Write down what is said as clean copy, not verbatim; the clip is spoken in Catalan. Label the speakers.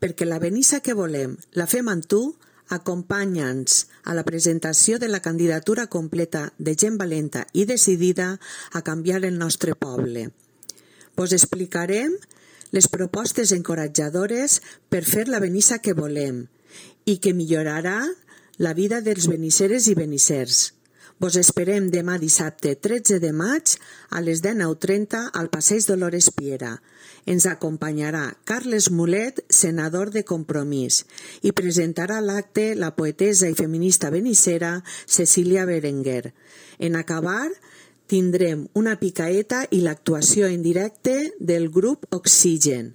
Speaker 1: perquè la Benissa que volem la fem amb tu, acompanya'ns a la presentació de la candidatura completa de gent valenta i decidida a canviar el nostre poble. Vos explicarem les propostes encoratjadores per fer la Benissa que volem i que millorarà la vida dels benisseres i benissers. Vos esperem demà dissabte 13 de maig a les 19:30 al Passeig Dolores Piera. Ens acompanyarà Carles Mulet, senador de Compromís, i presentarà l'acte la poetessa i feminista benissera Cecília Berenguer. En acabar, tindrem una picaeta i l'actuació en directe del grup Oxigen.